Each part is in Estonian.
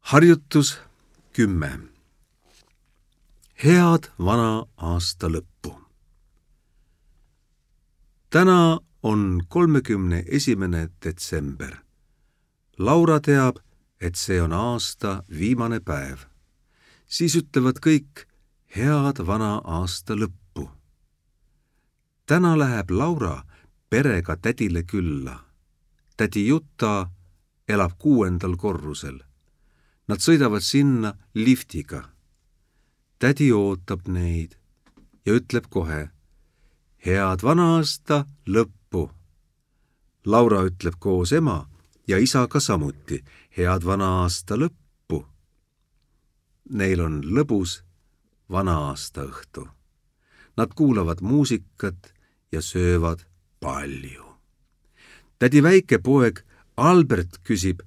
Harjutus 10. Head vana aasta lõppu. Täna on 31. detsember. Laura teab, et see on aasta viimane päev. Siis ütlevad kõik head vana aasta lõppu. Täna läheb Laura perega tädile külla. Tädi Jutta elab 6. korrusel. Nad sõidavad sinna liftiga. Tädi ootab neid ja ütleb kohe head vana aasta lõppu. Laura ütleb koos ema ja isaga samuti head vana aasta lõppu. Neil on lõbus vana aasta õhtu. Nad kuulavad muusikat ja söövad palju. Tädi väike poeg Albert küsib,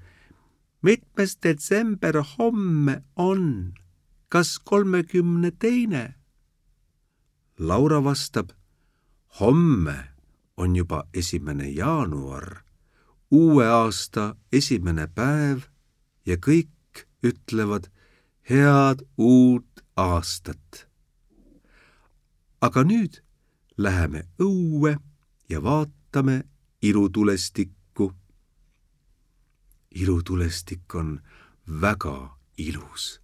mitmes detsember homme on? Kas 32? Laura vastab, homme on juba 1. jaanuar, uue aasta 1. päev ja kõik ütlevad head uut aastat. Aga nüüd läheme õue ja vaatame ilutulestikku. Ilutulestik on väga ilus.